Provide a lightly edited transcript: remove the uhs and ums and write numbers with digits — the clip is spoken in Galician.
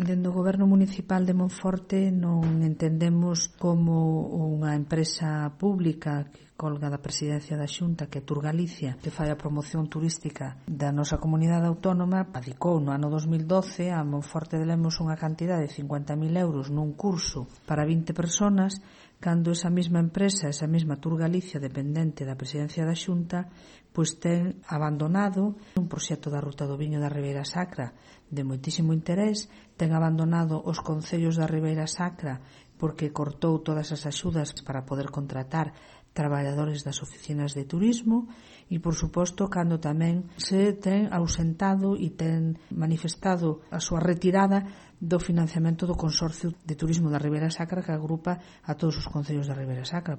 Dende o Goberno Municipal de Monforte non entendemos como unha empresa pública que colga da presidencia da Xunta, que é Tour Galicia, que fai a promoción turística da nosa comunidade autónoma, adicou no ano 2012 a Monforte de Lemos unha cantidad de 50.000 euros nun curso para 20 personas, cando esa mesma empresa, esa mesma Tour Galicia, dependente da presidencia da Xunta, pois ten abandonado un proxecto da Ruta do Viño da Ribeira Sacra de moitísimo interés, ten abandonado os concellos da Ribeira Sacra porque cortou todas as axudas para poder contratar traballadores das oficinas de turismo e, por suposto, cando tamén se ten ausentado e ten manifestado a súa retirada do financiamento do Consorcio de Turismo da Ribeira Sacra, que agrupa a todos os concellos da Ribeira Sacra.